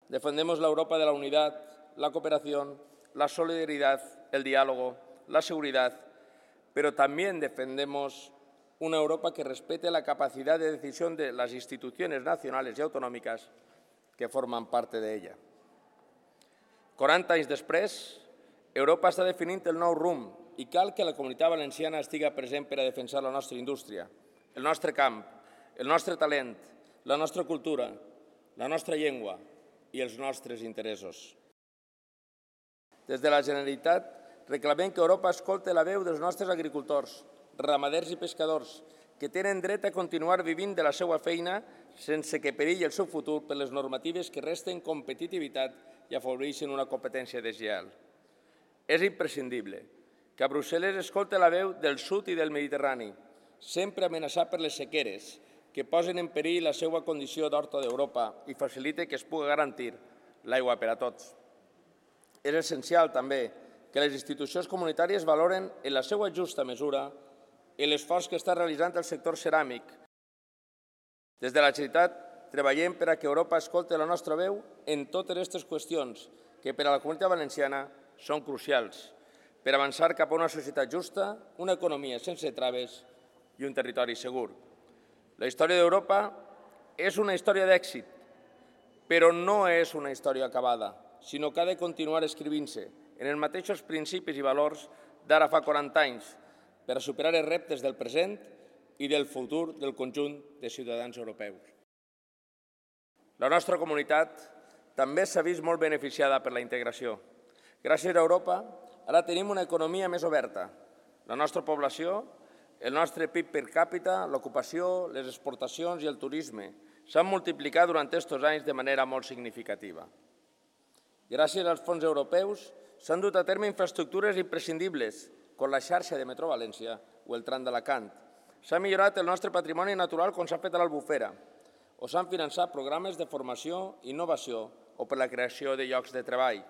Defendemos la Europa de la unidad, la cooperación, la solidaridad, el diálogo, la seguridad, pero también defendemos una Europa que respete la capacidad de decisión de las instituciones nacionales y autonòmiques que formen part d'ella. 40 anys després, Europa està definint el nou rumb i cal que la Comunitat Valenciana estigui present per a defensar la nostra indústria, el nostre camp, el nostre talent, la nostra cultura, la nostra llengua i els nostres interessos. Des de la Generalitat reclamem que Europa escolti la veu dels nostres agricultors, ramaders i pescadors, que tenen dret a continuar vivint de la seva feina sense que perilli el seu futur per les normatives que resten competitivitat i afavoreixen una competència deslleial. És imprescindible que a Brussel·les escolti la veu del sud i del Mediterrani, sempre amenaçat per les sequeres, que posen en perill la seva condició d'horta d'Europa i faciliten que es pugui garantir l'aigua per a tots. És essencial, també, que les institucions comunitàries valoren en la seva justa mesura l'esforç que està realitzant el sector ceràmic. Des de la Generalitat treballem per a que Europa escolti la nostra veu en totes aquestes qüestions que per a la Comunitat Valenciana són crucials per avançar cap a una societat justa, una economia sense traves i un territori segur. La història d'Europa és una història d'èxit, però no és una història acabada, sinó que ha de continuar escrivint-se en els mateixos principis i valors d'ara fa 40 anys per a superar els reptes del present i del futur del conjunt de ciutadans europeus. La nostra comunitat també s'ha vist molt beneficiada per la integració. Gràcies a Europa, ara tenim una economia més oberta. La nostra població, el nostre PIB per càpita, l'ocupació, les exportacions i el turisme s'han multiplicat durant aquests anys de manera molt significativa. Gràcies als fons europeus s'han dut a terme infraestructures imprescindibles, com la xarxa de Metro València o el tram d'Alacant. S'ha millorat el nostre patrimoni natural com s'ha fet a l'Albufera, o s'han finançat programes de formació i innovació o per la creació de llocs de treball.